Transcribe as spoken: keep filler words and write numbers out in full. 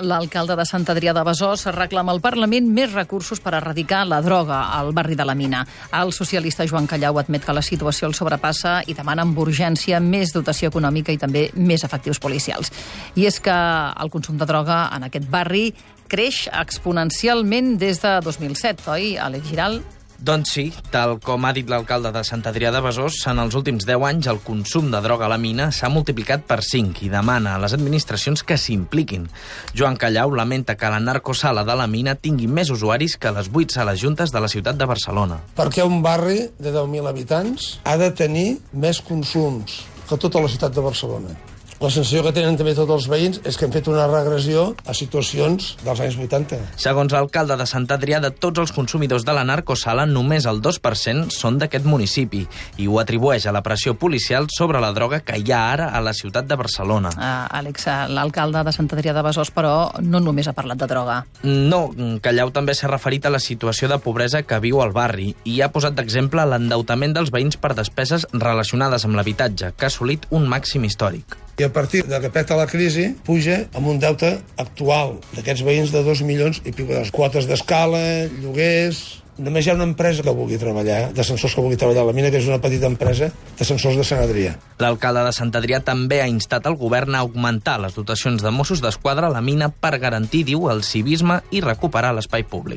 L'alcalde de Sant Adrià de Besòs reclama al Parlament més recursos per erradicar la droga al barri de la Mina. El socialista Joan Callau admet que la situació el sobrepassa i demana amb urgència més dotació econòmica i també més efectius policials. I és que el consum de droga en aquest barri creix exponencialment des de dos mil set, oi, Àlex Giral? Doncs sí, tal com ha dit l'alcalde de Sant Adrià de Besòs, en els últims deu anys el consum de droga a la mina s'ha multiplicat per cinc i demana a les administracions que s'impliquin. Joan Callau lamenta que la narcosala de la mina tingui més usuaris que les vuit sales juntes de la ciutat de Barcelona. Perquè un barri de deu mil habitants ha de tenir més consums que tota la ciutat de Barcelona. La sensació que tenen també tots els veïns és que hem fet una regressió a situacions dels anys vuitanta. Segons l'alcalde de Sant Adrià, de tots els consumidors de la narcosala, només el dos per cent són d'aquest municipi i ho atribueix a la pressió policial sobre la droga que hi ha ara a la ciutat de Barcelona. Uh, Àlex, l'alcalde de Sant Adrià de Besòs, però, no només ha parlat de droga. No, Callau també s'ha referit a la situació de pobresa que viu al barri i ha posat d'exemple l'endeutament dels veïns per despeses relacionades amb l'habitatge, que ha assolit un màxim històric. I a partir de que peta la crisi, puja amb un deute actual d'aquests veïns de dos milions i pico de quotes d'escala, lloguers... Només hi ha una empresa que vulgui treballar, d'ascensors que vulgui treballar a la mina, que és una petita empresa d'ascensors de Sant Adrià. L'alcalde de Sant Adrià també ha instat el govern a augmentar les dotacions de Mossos d'Esquadra a la mina per garantir, diu, el civisme i recuperar l'espai públic.